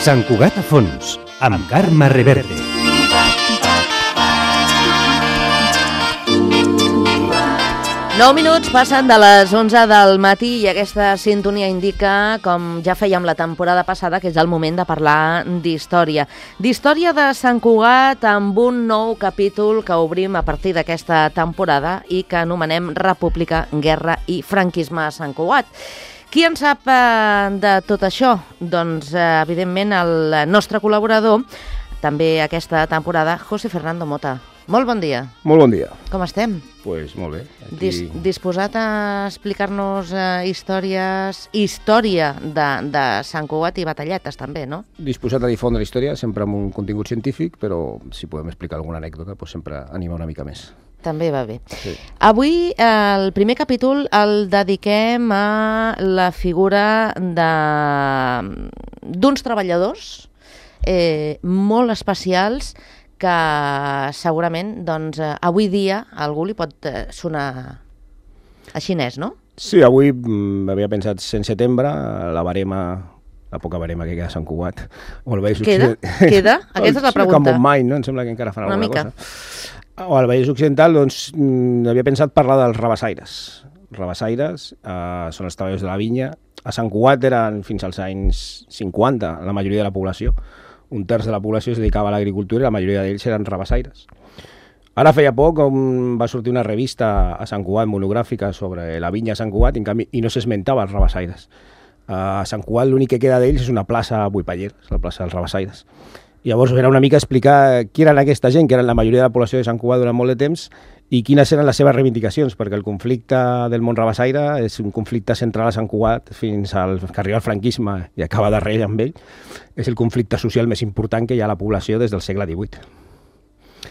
Sant Cugat a fons, amb Carme Reverte. Nou minuts passen de les 11 del matí i aquesta sintonia indica, com ja fèiem la temporada passada, que és el moment de parlar d'història. D'història de Sant Cugat amb un nou capítol que obrim a partir d'aquesta temporada i que anomenem República, Guerra i Franquisme a Sant Cugat. Qui en sap de tot això? Doncs, evidentment, el nostre col·laborador, també aquesta temporada, José Fernando Mota. Molt bon dia. Molt bon dia. Com estem? Pues molt bé. Disposat a explicar-nos història de Sant Cugat i batalletes, també, no? Disposat a difondre història, sempre amb un contingut científic, però si podem explicar alguna anècdota, pues sempre anima una mica més. També va bé. Sí. Avui el primer capítol el dediquem a la figura d'uns treballadors molt especials que segurament doncs, avui dia a algú li pot sonar a xinès, no? Sí, avui havia pensat 100 setembre, la poca barema que queda a Sant Cugat. Queda? Aquesta és la pregunta. Com un mai, no? Em sembla que encara fan alguna cosa. O al Vallès Occidental, doncs, havia pensat parlar dels rabassaires. Rabassaires són els treballadors de la vinya. A Sant Cugat eren fins als anys 50 la majoria de la població. Un terç de la població es dedicava a l'agricultura i la majoria d'ells eren rabassaires. Ara feia poc va sortir una revista a Sant Cugat monogràfica sobre la vinya a Sant Cugat i no s'esmentava els rabassaires. A Sant Cugat l'únic que queda d'ells és una plaça buipallera, la plaça dels rabassaires. Llavors era una mica explicar qui eren aquesta gent, que eren la majoria de la població de Sant Cugat durant molt de temps, i quines eren les seves reivindicacions, perquè el conflicte del món rabassaire és un conflicte central a Sant Cugat fins que arriba el franquisme i acaba darrere amb ell. És el conflicte social més important que hi ha a la població des del segle XVIII.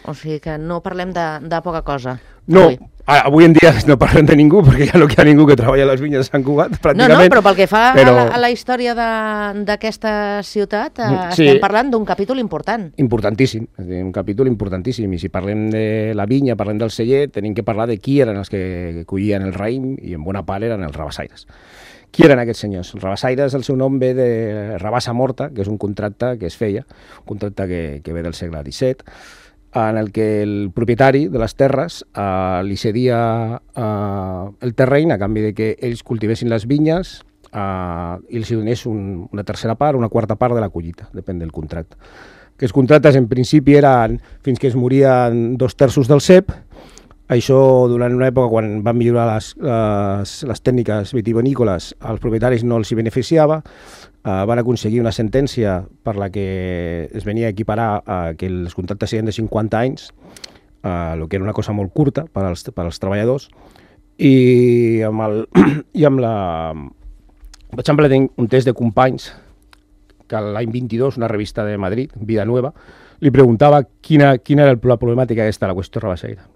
O sigui que no parlem de poca cosa. No, avui en dia no parlem de ningú, perquè ja no hi ha ningú que treballa a les vinyes de Sant Cugat, pràcticament. No, però pel que fa a la història d'aquesta ciutat, estem parlant d'un capítol important. Importantíssim, un capítol importantíssim. I si parlem de la vinya, parlem del celler, tenim que parlar de qui eren els que collien el raïm, i en bona part eren els rabassaires. Qui eren aquests senyors? Els rabassaires, el seu nom ve de rabassa morta, que és un contracte que es feia, un contracte que ve del segle XVII, en el que el propietari de les terres li cedia el terreny a canvi de que ells cultivessin les vinyes i els donés una tercera part, una quarta part de la collita, depèn del contracte. Aquests contractes en principi eren fins que es morien 2/3 del cep. Això durant una època quan van millorar les tècniques vitivinícoles, als propietaris no els hi beneficiava. Van aconseguir una sentència per la que es venia a equiparar que els contractes siguin de 50 anys, el que era una cosa molt curta per als treballadors, i vaig emplenar un test de companys que l'any 22, una revista de Madrid, Vida Nueva, li preguntava quina era la problemàtica aquesta, la qüestió rabassaire.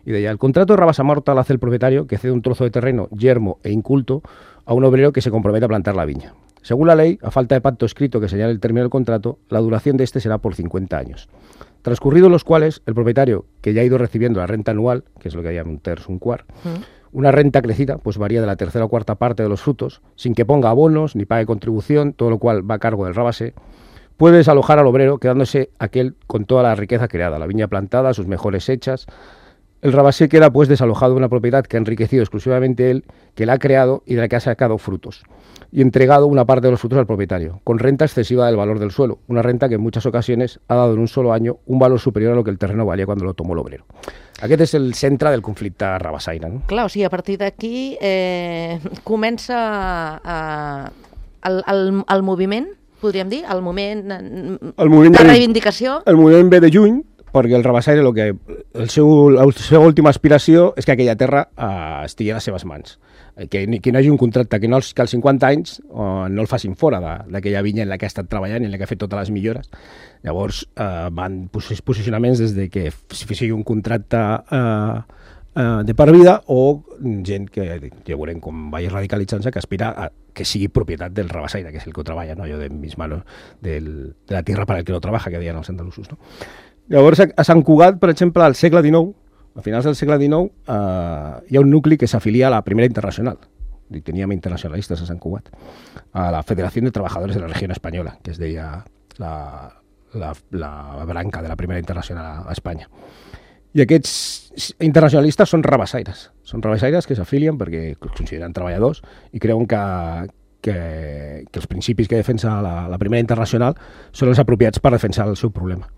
Y decía, el contrato de rabasa morta lo hace el propietario que cede un trozo de terreno yermo e inculto a un obrero que se compromete a plantar la viña. Según la ley, a falta de pacto escrito que señale el término del contrato, la duración de este será por 50 años. Transcurridos los cuales, el propietario, que ya ha ido recibiendo la renta anual, que es lo que llaman un terç, un quart, una renta crecida, pues varía de la tercera o cuarta parte de los frutos, sin que ponga abonos ni pague contribución, todo lo cual va a cargo del rabasé, puede desalojar al obrero quedándose aquel con toda la riqueza creada, la viña plantada, sus mejores hechas. El rabasé queda pues desalojado de una propiedad que ha enriquecido exclusivamente él, que la ha creado y de la que ha sacado frutos, y entregado una parte de los frutos al propietario, con renta excesiva del valor del suelo, una renta que en muchas ocasiones ha dado en un solo año un valor superior a lo que el terreno valía cuando lo tomó l'obrero. Aquest és el centre del conflicte rabassaire. No? Clar, o sigui, a partir d'aquí comença el moviment, podríem dir, el moment de reivindicació. El moviment ve de juny, perquè el rabassaire, la seva última aspiració és que aquella terra estigui a les seves mans. Que no hi hagi un contracte, que als 50 anys no el facin fora d'aquella vinya en la que ha estat treballant i en la que ha fet totes les millores. Llavors van posicionaments des de que sigui un contracte de per vida o gent que ja veurem com vagi radicalitzant-se, que aspira a que sigui propietat del rabassaire, que és el que ho treballa, no? Allò de mis manos, de la tierra para el que lo trabaja, que deien els andalusos, no? Llavors, a Sant Cugat, per exemple, al segle XIX, a finals del segle XIX, hi ha un nucli que s'afilia a la Primera Internacional. Teníem internacionalistes a Sant Cugat, a la Federació de Trabajadores de la Regió Espanyola, que es deia la branca de la Primera Internacional a Espanya. I aquests internacionalistes són rabassaires. Són rabassaires que s'afilien perquè els consideren treballadors i creuen que els principis que defensa la Primera Internacional són els apropiats per defensar el seu problema.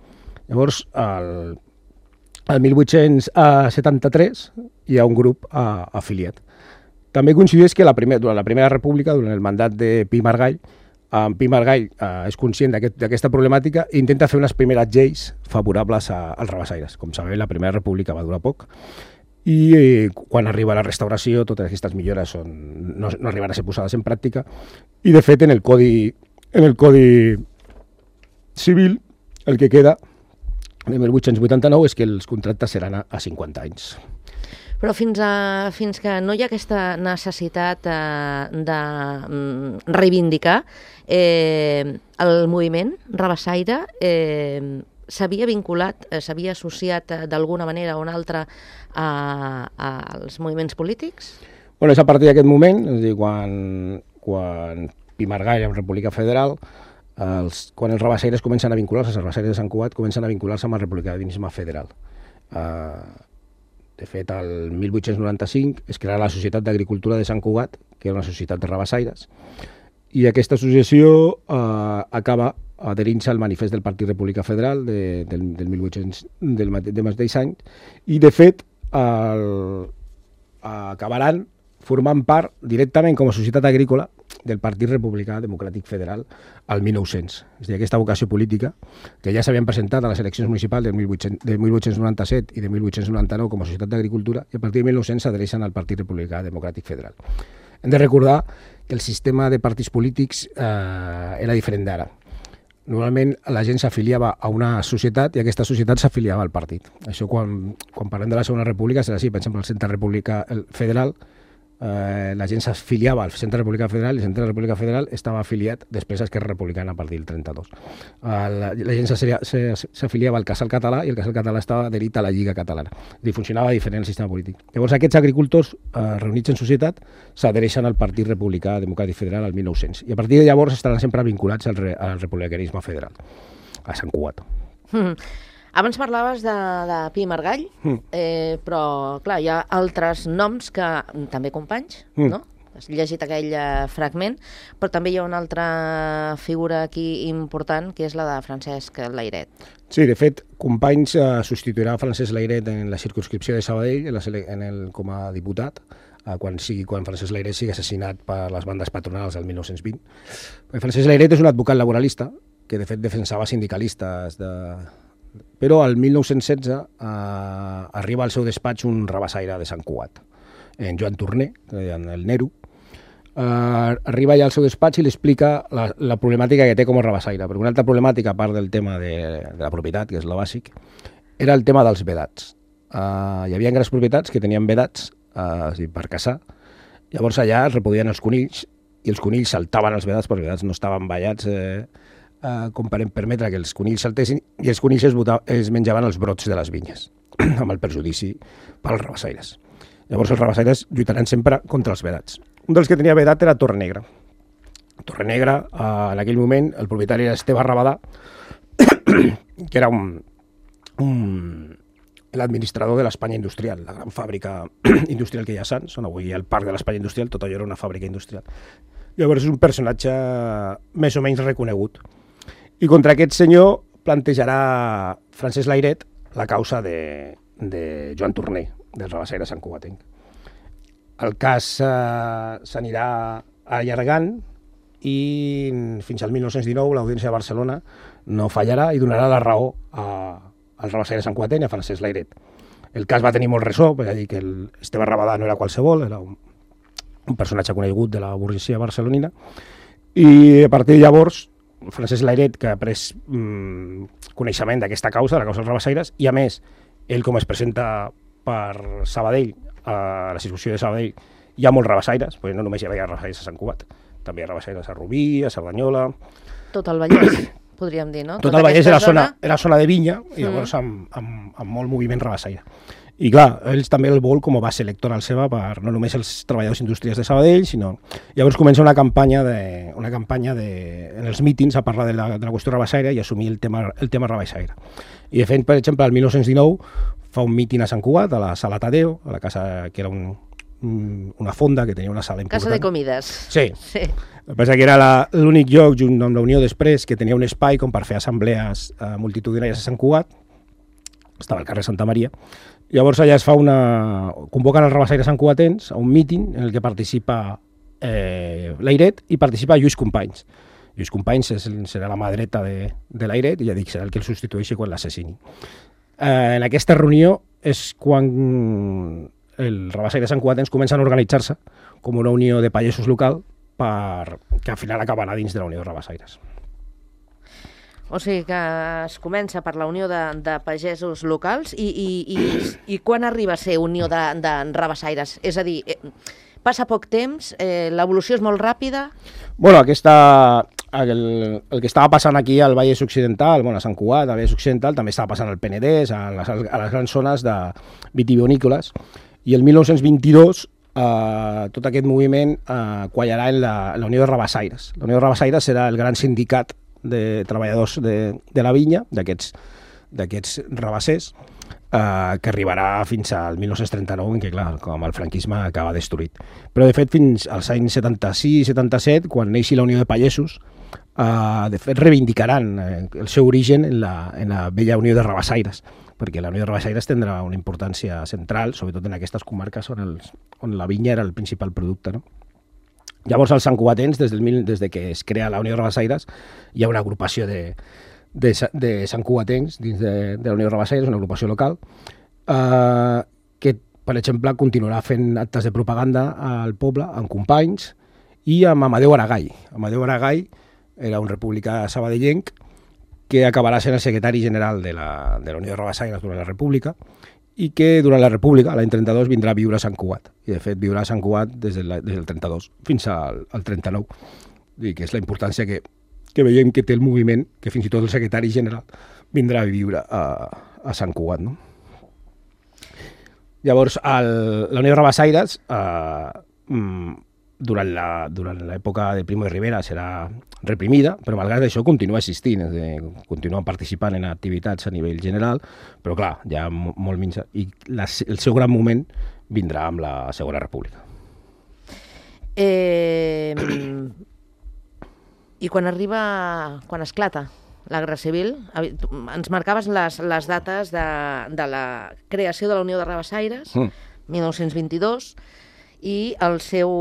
Llavors, el 1873 hi ha un grup afiliat. També coincideix que durant la Primera República, durant el mandat de Pi i Margall, Pi i Margall és conscient d'aquesta problemàtica i intenta fer unes primeres lleis favorables als rabassaires. Com sabeu, la Primera República va durar poc i quan arriba la restauració totes aquestes millores no arriben a ser posades en pràctica i, de fet, en el Codi Civil el que queda en 1889 és que els contractes seran a 50 anys. Però fins que no hi ha aquesta necessitat de reivindicar, el moviment rabassaire s'havia vinculat, s'havia associat d'alguna manera o una altra als moviments polítics? És a partir d'aquest moment, és a dir, quan Pi i Margall en República Federal, quan els rabassaires comencen a vincular-se, els rabassaires de Sant Cugat comencen a vincular-se amb el republicanisme federal. De fet, el 1895 es crea la Societat d'Agricultura de Sant Cugat, que era una societat de rabassaires, i aquesta associació acaba adherint-se al manifest del Partit República Federal del mateix any, i de fet acabaran formant part directament com a societat agrícola del Partit Republicà Democràtic Federal al 1900. És a dir, aquesta vocació política, que ja s'havien presentat a les eleccions municipals de 1897 i de 1899 com a societat d'agricultura, i a partir de 1900 s'adhereixen al Partit Republicà Democràtic Federal. Hem de recordar que el sistema de partits polítics era diferent d'ara. Normalment la gent s'afiliava a una societat i aquesta societat s'afiliava al partit. Això quan parlem de la Segona República serà així, per exemple, el Centre Republicà Federal, la gent s'afiliava al Centre Republicà Federal i el Centre Republicà Federal estava afiliat després a Esquerra Republicana a partir del 32. La gent s'afiliava al Casal Català i el Casal Català estava adherit a la Lliga Catalana. És a dir, funcionava diferent el sistema polític. Llavors aquests agricultors reunits en societat s'adhereixen al Partit Republicà Democràtic Federal al 1900 i a partir de llavors estaran sempre vinculats al republicanisme federal, a Sant Cugat. Abans parlaves de Pi i Margall, però, clar, hi ha altres noms que també companys, no? Has llegit aquell fragment, però també hi ha una altra figura aquí important, que és la de Francesc Layret. Sí, de fet, Companys substituirà Francesc Layret en la circumscripció de Sabadell com a diputat, quan Francesc Layret sigui assassinat per les bandes patronals el 1920. Francesc Layret és un advocat laboralista que, de fet, defensava sindicalistes però al 1916 arriba al seu despatx un rabassaire de Sant Cugat, en Joan Torner, el Nero. Arriba allà al seu despatx i li explica la problemàtica que té com a rabassaire, perquè una altra problemàtica, a part del tema de la propietat, que és lo bàsic, era el tema dels vedats. Hi havia grans propietats que tenien vedats per caçar, llavors allà es repodien els conills i els conills saltaven els vedats, perquè els vedats no estaven vallats com per permetre que els conills saltessin, i els conills es menjaven els brots de les vinyes, amb el perjudici pels rabassaires. Llavors els rabassaires lluitaran sempre contra els vedats. Un dels que tenia vedat era Torrenegra. Torrenegra, en aquell moment, el propietari era Esteve Rabadà, que era l'administrador de l'Espanya Industrial, la gran fàbrica industrial que hi ha a Sants, on avui hi ha el parc de l'Espanya Industrial, tot allò era una fàbrica industrial. Llavors és un personatge més o menys reconegut. I contra aquest senyor plantejarà Francesc Layret la causa de Joan Torner, del rabassaire santcugatenc. El cas s'anirà allargant i fins al 1919 l'Audiència de Barcelona no fallarà i donarà la raó al rabassaire santcugatenc i a Francesc Layret. El cas va tenir molt ressò, perquè dir que Esteve Rabadà no era qualsevol, era un personatge conegut de la burgesia barcelonina, i a partir de llavors Francesc Layret, que ha pres coneixement d'aquesta causa, la causa dels rabassaires, i a més, ell com es presenta per Sabadell, a la circumscripció de Sabadell, hi ha molts rabassaires, perquè no només hi havia rabassaires a Sant Cugat, també hi ha rabassaires a Rubí, a Cerdanyola... Tot el Vallès, podríem dir, no? Tot el Vallès era zona de vinya, i llavors amb molt moviment rabassaire. I clar, ells també el vol com a base electoral seva per no només els treballadors industrials de Sabadell, sinó... Llavors comença una campanya en els mítings a parlar de la qüestió rabassaire i assumir el tema rabassaire. I de fet, per exemple, el 1919 fa un míting a Sant Cugat, a la Sala Tadeo, a la casa que era una fonda que tenia una sala important. Casa de comides. Sí. El que passa que era l'únic lloc, junt amb la Unió després, que tenia un espai com per fer assemblees multitudinàries a Sant Cugat. Estava al carrer Santa Maria. Llavors allà es fa convoquen els rabassaires santcugatens a un míting en el que participa l'Airet i participa Lluís Companys. Lluís Companys serà la mà dreta de l'Airet i ja dic, serà el que el substitueixi quan l'assassini. En aquesta reunió és quan els rabassaires santcugatens comencen a organitzar-se com una unió de pagesos local que al final acabarà dins de la Unió de Rabassaires. O sigui que es comença per la Unió de Pagesos Locals i quan arriba a ser Unió de Rabassaires? És a dir, passa poc temps, l'evolució és molt ràpida? Bueno, el que estava passant aquí al Vallès Occidental, a Sant Cugat, al Vallès Occidental, també estava passant al Penedès, a les grans zones de vitivinícoles, i el 1922 tot aquest moviment quallarà en la Unió de Rabassaires. La Unió de Rabassaires serà el gran sindicat de treballadors de la vinya, d'aquests rabassers, que arribarà fins al 1939, en què, clar, com el franquisme acaba destruït. Però, de fet, fins als anys 76-77, quan neixi la Unió de Pagesos, de fet, reivindicaran el seu origen en la vella Unió de Rabassaires, perquè la Unió de Rabassaires tindrà una importància central, sobretot en aquestes comarques on la vinya era el principal producte, no? Llavors, els santcugatens, des que es crea la Unió de Rabassaires, hi ha una agrupació de santcugatens dins de la Unió de Rabassaires, una agrupació local, que, per exemple, continuarà fent actes de propaganda al poble, amb Companys, i amb Amadeu Aragai. Amadeu Aragai era un republicà sabadellenc que acabarà sent el secretari general de la Unió de Rabassaires durant la República, i que durant la República, l'any 32, vindrà a viure a Sant Cugat. I, de fet, viurà a Sant Cugat des del 32 fins al 39. I que és la importància que veiem que té el moviment, que fins i tot el secretari general vindrà a viure a Sant Cugat. No? Llavors, la Unió de Rabassaires, durant l'època de Primo de Rivera, serà reprimida, però malgrat això continua existint, continuen participant en activitats a nivell general, però clar, ja molt menys. I el seu gran moment vindrà amb la Segona República. I quan esclata la Guerra Civil, ens marcaves les dates de la creació de la Unió de Rabassaires, 1922, i el seu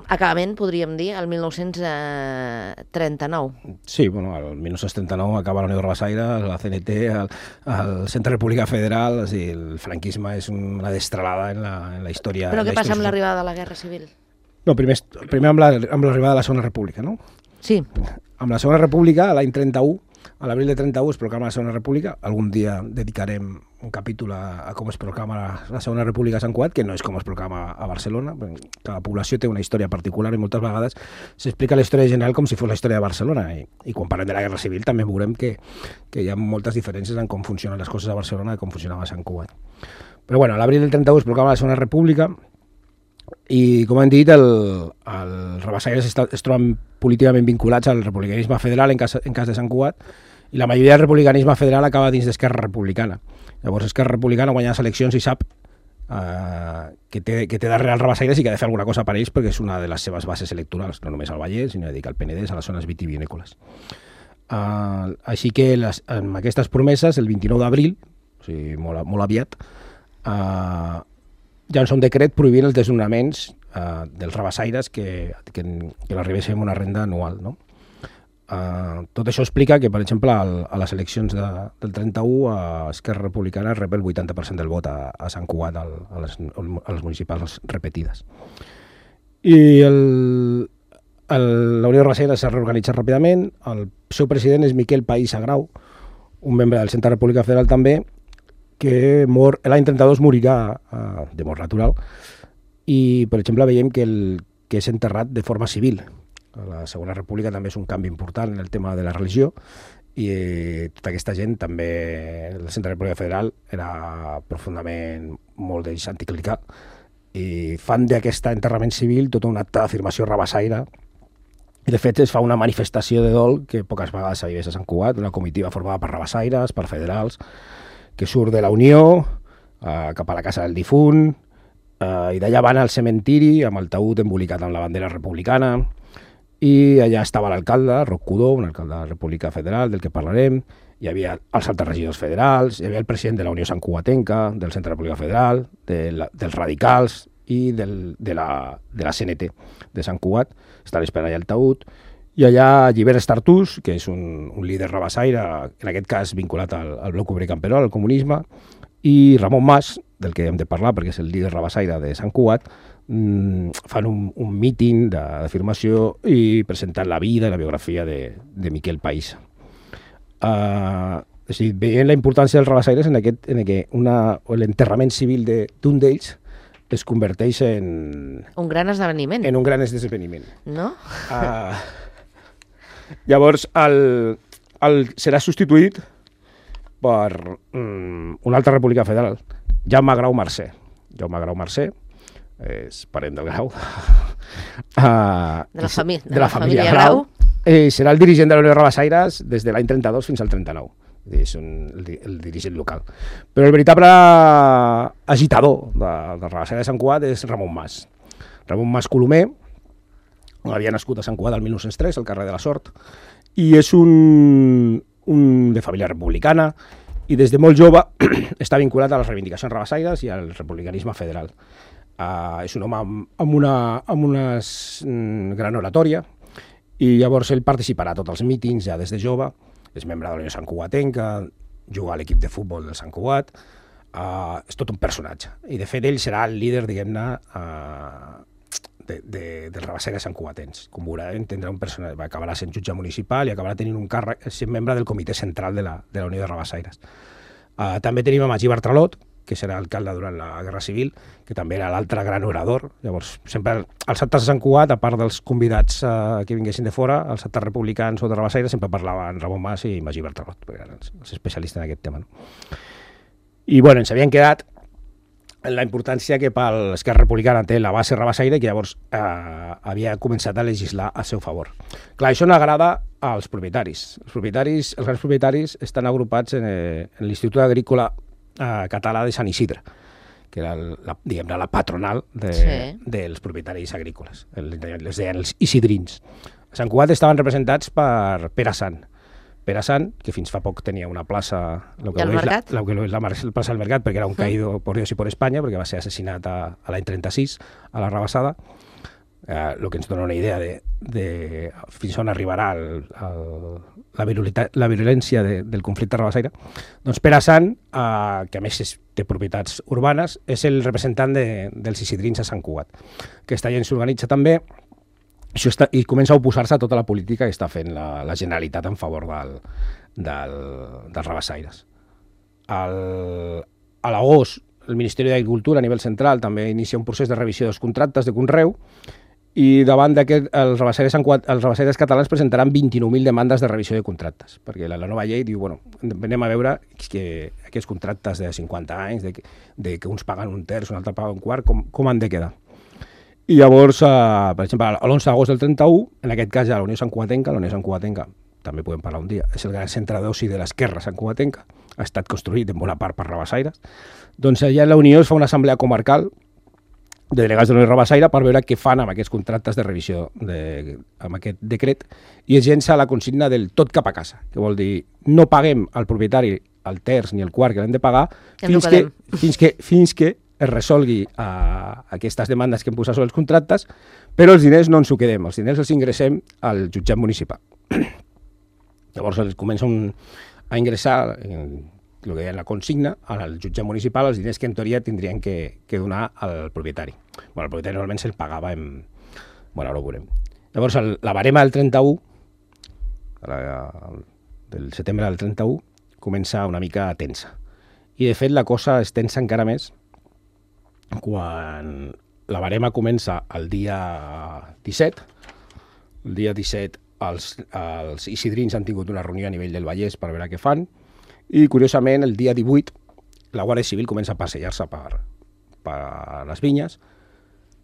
acabament, podríem dir, el 1939. Sí, bueno, el 1939 acaba la Unió de Rabassaires, la CNT, el Centre República Federal, és a dir, el franquisme és una destralada en la història. Però què passa amb l'arribada de la Guerra Civil? No, primer amb l'arribada de la Segona República, no? Sí. Amb la Segona República, l'any 31, a l'abril de 31 es proclama la Segona República. Algun dia dedicarem un capítol a com es proclama la Segona República a Sant Cugat, que no és com es proclama a Barcelona. Cada població té una història particular i moltes vegades s'explica la història general com si fos la història de Barcelona. I quan parlem de la Guerra Civil també veurem que hi ha moltes diferències en com funcionen les coses a Barcelona i com funcionava a Sant Cugat. Però bueno, a l'abril del 31 es proclama la Segona República i, com hem dit, els rabassaires es troben políticament vinculats al republicanisme federal en cas de Sant Cugat, i la majoria del republicanisme federal acaba dins d'Esquerra Republicana. Llavors Esquerra Republicana guanya les eleccions i sap que té darrere els rabassaires i que ha de fer alguna cosa per ells perquè és una de les seves bases electorals, no només al Vallès, sinó al Penedès, a les zones vitivinícoles. Així que amb aquestes promeses, el 29 d'abril, o sigui, molt aviat, llança un decret prohibint els desnonaments dels rabassaires que l'arribessin amb una renda anual, no? Tot això explica que, per exemple, a les eleccions del 31 Esquerra Republicana rep el 80% del vot a Sant Cugat, a les municipals repetides. I la Unió de Rabassaires s'ha reorganitzat ràpidament. El seu president és Miquel País Agrau, un membre del Centre República Federal també, que l'any 32 morirà de mort natural. I, per exemple, veiem que és enterrat de forma civil. La Segona República també és un canvi important en el tema de la religió i tota aquesta gent també, el Centre de República Federal era profundament molt d'ells anticlerical i fan d'aquest enterrament civil tota un acte d'afirmació rabassaire. I de fet es fa una manifestació de dol que poques vegades s'havia vist a Sant Cugat, una comitiva formada per rabassaires, per federals, que surt de la Unió cap a la casa del difunt, i d'allà van al cementiri amb el taüt embolicat amb la bandera republicana, i allà estava l'alcalde, Roc Codó, un alcalde de la República Federal, del que parlarem, hi havia els altres regidors federals, hi havia el president de la Unió Santcugatenca, del Centre de la República Federal, dels radicals i de la CNT de Sant Cugat, estan esperant allà el taüt, i allà Llibert Estartús, que és un líder rabassaire, en aquest cas vinculat al bloc obrer camperol, al comunisme, i Ramon Mas, del que hem de parlar perquè és el líder rabassaire de Sant Cugat, fan un míting d'afirmació i presentant la vida i la biografia de Miquel País. És a dir, veient la importància dels rabassaires en què l'enterrament civil d'un d'ells es converteix en... Un gran esdeveniment. En un gran esdeveniment. No? Llavors, serà substituït per una altra república federal, Jaume Grau Mercè. Jaume Grau Mercè és parent del Grau. De la família Grau. Serà el dirigent de la Unió de Rabassaires des de l'any 32 fins al 39. És el dirigent local. Però el veritable agitador de Rabassaire de Sant Cugat és Ramon Mas. Ramon Mas Colomer havia nascut a Sant Cugat el 1903, al carrer de la Sort, i és un de família republicana, i des de molt jove està vinculat a les reivindicacions rabassaires i al republicanisme federal. És un home amb una gran oratòria, i llavors ell participarà a tots els mítings ja des de jove, és membre de la Unió Santcugatenca, juga a l'equip de futbol del Sant Cugat, és tot un personatge. I de fet ell serà el líder, diguem-ne, dels rabassaires santcugatens. Com veurem, tindrà un personatge, acabarà sent jutge municipal i acabarà tenint un càrrec, sent membre del comitè central de la Unió de Rabassaires. També tenim a Magí Bartralot, que serà alcalde durant la Guerra Civil, que també era l'altre gran orador. Llavors, sempre els actes de Sant Cugat, a part dels convidats que vinguessin de fora, els actes republicans o de Rabassaires, sempre parlaven Ramon Mas i Magí Bartralot, perquè eren els especialistes en aquest tema. No? I bueno, ens havien quedat en la importància que per l'Esquerra Republicana té la base rabassaire, que llavors havia començat a legislar a seu favor. Clar, això no agrada als propietaris. Els grans propietaris estan agrupats en l'Institut Agrícola Català de Sant Isidre, que era la patronal dels propietaris agrícoles. Les deien els isidrins. A Sant Cugat estaven representats per Pere Sant. Pere Sant, que fins fa poc tenia una plaça, la plaça del Mercat, perquè era un caído por Dios y por España, perquè va ser assassinat a l'any 36, a la Rabassada, el que ens dona una idea de fins on arribarà la virulència del conflicte rabassaire. Doncs Pere Sant, que a més té propietats urbanes, és el representant dels isidrins a Sant Cugat. Aquesta gent s'organitza també i comença a oposar-se a tota la política que està fent la Generalitat en favor dels rabassaires. A l'agost, el Ministeri d'Agricultura a nivell central també inicia un procés de revisió dels contractes de conreu, i davant d'aquest els rabassaires catalans presentaran 29.000 demandes de revisió de contractes, perquè la nova llei diu, bueno, anem a veure que aquests contractes de 50 anys, de que uns paguen un terç, un altre paga un quart, com han de quedar. I llavors, per exemple, l'11 d'agost del 31, en aquest cas ja la Unió Santcugatenca, també podem parlar un dia, és el gran centre d'oci de l'esquerra santcugatenca, ha estat construït en bona part per rabassaires, doncs allà la Unió es fa una assemblea comarcal de delegats de la Unió Rabassaire per veure què fan amb aquests contractes de revisió, amb aquest decret, i es llença la consigna del tot cap a casa, que vol dir no paguem al propietari el terç ni el quart que l'hem de pagar fins que es resolgui aquestes demandes que hem posat sobre els contractes, però els diners no ens ho quedem, els diners els ingressem al jutjat municipal. Llavors els comencen a ingressar el que deia la consigna al jutjat municipal, els diners que en teoria tindrien que donar al propietari. Bueno, el propietari normalment se'l pagava Bueno, ara ho veurem. Llavors, la barema del 31, del setembre del 31, comença una mica tensa. I, de fet, la cosa es tensa encara més quan la barema comença el dia 17. El dia 17 els isidrins han tingut una reunió a nivell del Vallès per veure què fan, i curiosament el dia 18 la Guàrdia Civil comença a passejar-se per les vinyes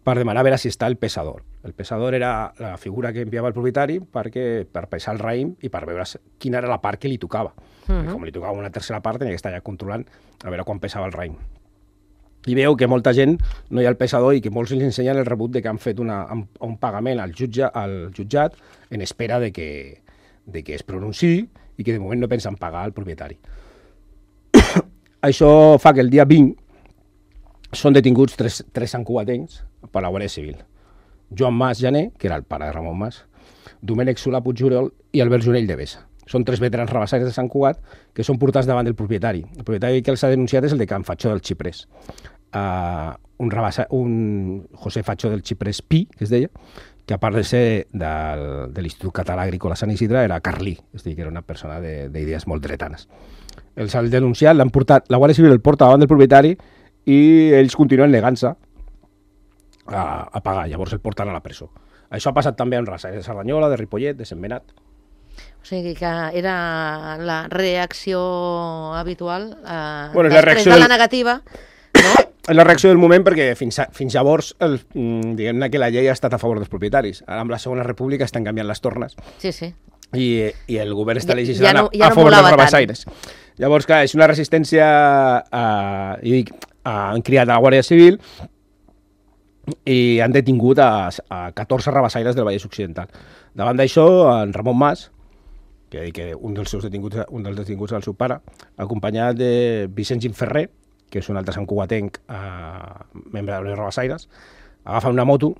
per demanar a veure si està el pesador. El pesador era la figura que enviava el propietari per pesar el raïm i per veure quina era la part que li tocava. Com li tocava una tercera part, tenia que estar ja controlant a veure quan pesava el raïm. I veu que molta gent no hi ha el pesador i que molts els ensenyen el rebut de que han fet un pagament al jutjat en espera de que es pronunciï i que de moment no pensen pagar al propietari. Això fa que el dia 20 són detinguts tres santcugatencs per la Guàrdia Civil. Joan Mas Jané, que era el pare de Ramon Mas, Domènec Solà Puigjuliol i Albert Junell de Besa. Són tres veterans rabassaires de Sant Cugat que són portats davant del propietari. El propietari que els ha denunciat és el de Can Fatxó del Xiprés. Un José Fatxó del Xiprés Pi, que es deia, que a part de ser de l'Institut Català Agrícola Sant Isidre, era carlí, és a dir, que era una persona d'idees molt dretanes. Els han denunciat, l'han portat, la Guàrdia Civil el porta davant del propietari i ells continuen negant-se a pagar, llavors el porten a la presó. Això ha passat també amb rabassaires de Cerdanyola, de Ripollet, de Sentmenat. O sigui que era la reacció habitual després de la negativa, no? És la reacció del moment perquè fins llavors diguem-ne que la llei ha estat a favor dels propietaris. Ara amb la Segona República estan canviant les tornes. Sí, sí. I el govern està legislant a favor dels rabassaires. Llavors, clar, és una resistència han criat a la Guàrdia Civil i han detingut a 14 rabassaires del Vallès Occidental. Davant d'això, en Ramon Mas, que un dels detinguts és el seu pare, acompanyat de Vicent Gimferrer, que és un altre santcugatenc, membre de les rabassaires, agafen una moto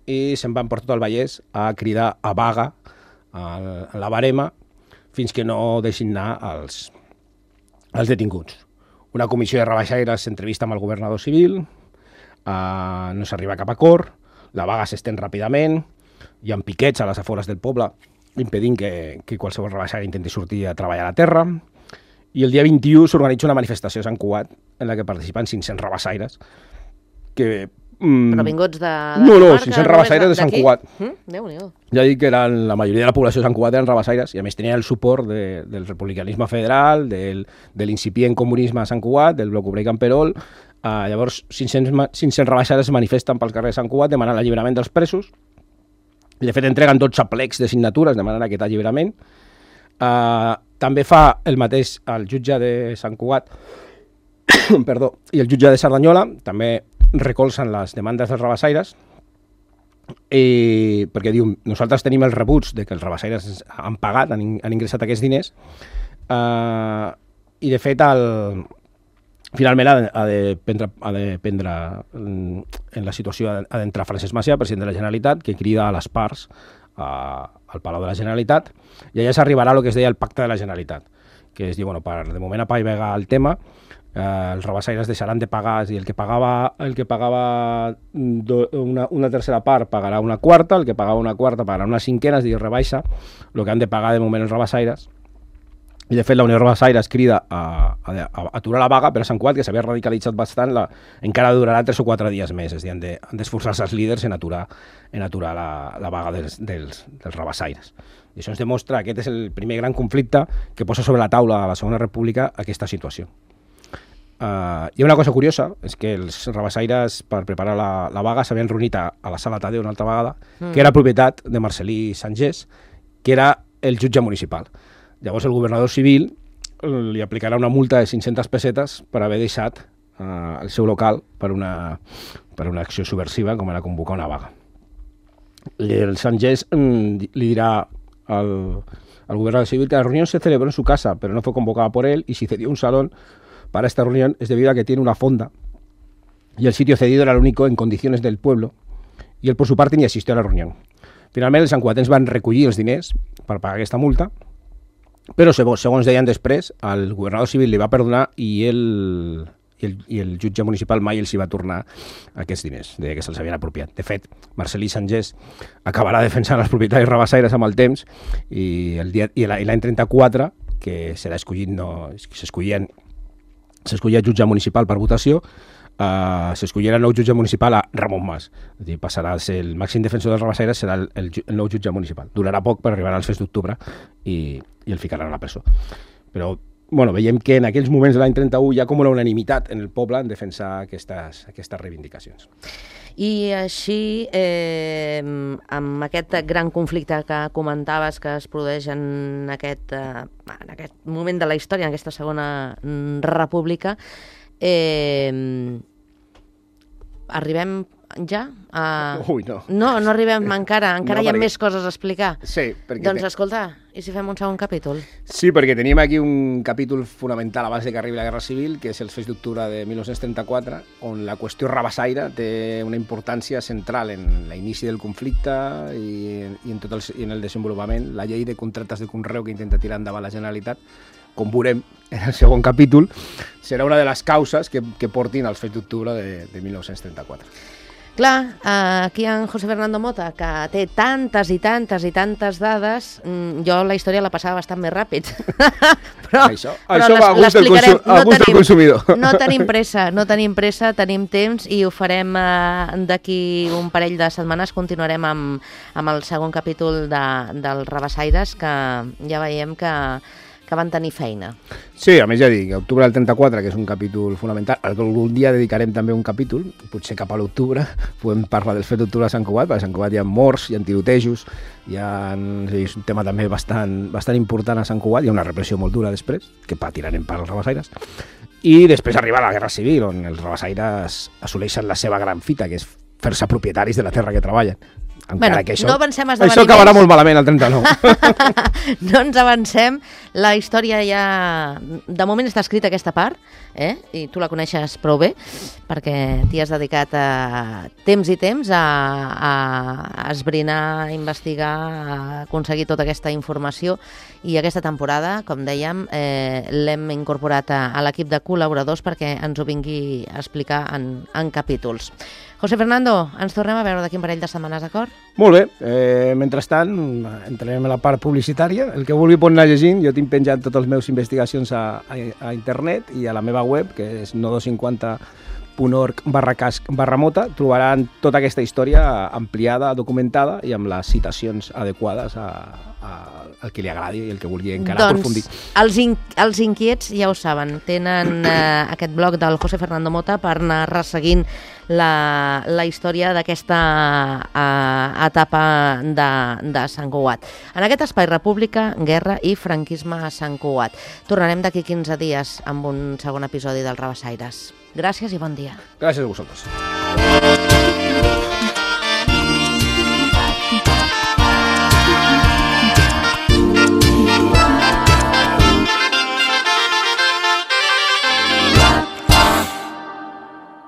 i se'n van per tot el Vallès a cridar a vaga a la barema fins que no deixin anar els detinguts. Una comissió de rabassaires s'entrevista amb el governador civil, no s'arriba a cap acord, la vaga s'estén ràpidament, hi ha piquets a les afores del poble impedint que qualsevol rabassaire intenti sortir a treballar a la terra, i el dia 21 s'organitza una manifestació a Sant Cugat en la que participen 500 rabassaires que... Però vinguts de No, 500 rabassaires de Sant Cugat. Déu-n'hi-do. Ja dic que la majoria de la població de Sant Cugat eren rabassaires i a més tenien el suport del republicanisme federal, de l'incipient comunisme a Sant Cugat, del bloc obrer Camperol. Llavors 500 rabassaires es manifesten pels carrers de Sant Cugat demanant l'alliberament dels presos i de fet entreguen 12 plecs de signatures demanant aquest alliberament. També fa el mateix el jutge de Sant Cugat i el jutge de Cerdanyola, també recolzen les demandes dels rabassaires perquè diu, nosaltres tenim els rebuts de que els rabassaires han pagat, han ingressat aquests diners i de fet finalment ha de prendre en la situació ha d'entrar Francesc Macià, president de la Generalitat, que crida a les parts al Palau de la Generalitat i allà s'arribarà a el que es deia el Pacte de la Generalitat, que es diu, de moment apaivagar el tema, els rabassaires deixaran de pagar, és a dir, el que pagava una tercera part pagarà una quarta, el que pagava una quarta pagarà una cinquena, és a dir, rebaixa el que han de pagar de moment els rabassaires. I de fet la Unió de Rabassaires crida a aturar la vaga, però a Sant Cugat, que s'havia radicalitzat bastant, encara durarà 3 o 4 dies més, és a dir, han d'esforçar-se els líders en aturar la vaga dels rabassaires. I això ens demostra que aquest és el primer gran conflicte que posa sobre la taula a la Segona República aquesta situació. Hi ha una cosa curiosa, és que els rabassaires per preparar la vaga s'havien reunit a la Sala Tadeu una altra vegada, que era propietat de Marcelí Sangés, que era el jutge municipal. Llavors el governador civil li aplicarà una multa de 500 pessetes per haver deixat el seu local per una acció subversiva com era convocar una vaga. El Sangés li dirà al gobernador civil que la reunión se celebró en su casa, pero no fue convocada por él y si cedió un salón para esta reunión es debido a que tiene una fonda y el sitio cedido era el único en condiciones del pueblo y él por su parte ni asistió a la reunión. Finalment els santcugatens van recollir els diners per pagar aquesta multa, però segons deien després, el governador civil li va perdonar i el jutge municipal mai els hi va tornar aquests diners, deia que se'ls havien apropiat. De fet, Marcelí Sangés acabarà defensant els propietaris rabassaires amb el temps i l'any 34, que serà escollit, s'escollia jutge municipal per votació, s'escollirà el nou jutge municipal a Ramon Mas. És a dir, passarà a ser el màxim defensor dels rabassaires, serà el nou jutge municipal. Durarà poc per arribar als fets d'octubre i el ficaran a la presó. Però veiem que en aquells moments de l'any 31 hi ha com una unanimitat en el poble en defensar aquestes reivindicacions. I així, amb aquest gran conflicte que comentaves que es produeix en aquest moment de la història, en aquesta segona república, arribem ja a... Ui, no. No arribem encara hi ha més coses a explicar. Sí, perquè... Doncs escolta, i si fem un segon capítol? Sí, perquè tenim aquí un capítol fonamental abans que arribi la Guerra Civil, que és els fets d'octubre de 1934, on la qüestió rabassaire té una importància central en l'inici del conflicte i en el desenvolupament. La llei de contractes de conreu que intenta tirar endavant la Generalitat, com veurem en el segon capítol, serà una de les causes que portin als fets d'octubre de 1934. Clar, aquí en José Fernando Mota, que té tantes i tantes dades, jo la història la passava bastant més ràpid. però això va a gust del consumidor. No tenim pressa, tenim temps i ho farem d'aquí un parell de setmanes. Continuarem amb el segon capítol dels Rabassaires, que ja veiem que van tenir feina. Sí, a més ja dic, octubre del 34, que és un capítol fonamental, algun dia dedicarem també un capítol, potser cap a l'octubre, podem parlar dels fets d'octubre de Sant Cugat, perquè a Sant Cugat hi ha morts, hi ha tirotejos, és un tema també bastant important a Sant Cugat, hi ha una repressió molt dura després, que patirem per als rabassaires, i després arriba la Guerra Civil, on els rabassaires assoleixen la seva gran fita, que és fer-se propietaris de la terra que treballen. Encara que no avancem esdeveniments. Això acabarà molt malament el 39. No ens avancem. La història ja... De moment està escrita aquesta part, i tu la coneixes prou bé, perquè t'hi has dedicat temps i temps a esbrinar, a investigar, a aconseguir tota aquesta informació, i aquesta temporada, com dèiem, l'hem incorporat a l'equip de col·laboradors perquè ens ho vingui a explicar en capítols. José Fernando, ens tornem a veure d'aquí un parell de setmanes, d'acord? Molt bé. Mentrestant, entrarem a la part publicitària. El que vulgui pot anar llegint. Jo tinc penjat totes les meves investigacions a internet i a la meva web, que és nodo50.org/mota. Trobaran tota aquesta història ampliada, documentada i amb les citacions adequades al que li agradi i el que vulgui encara aprofundir. Els inquiets ja ho saben, tenen aquest blog del José Fernando Mota per anar resseguint la història d'aquesta etapa de Sant Cugat. En aquest espai, República, Guerra i Franquisme a Sant Cugat. Tornarem d'aquí 15 dies amb un segon episodi dels Rabassaires. Gràcies i bon dia. Gràcies a vosaltres.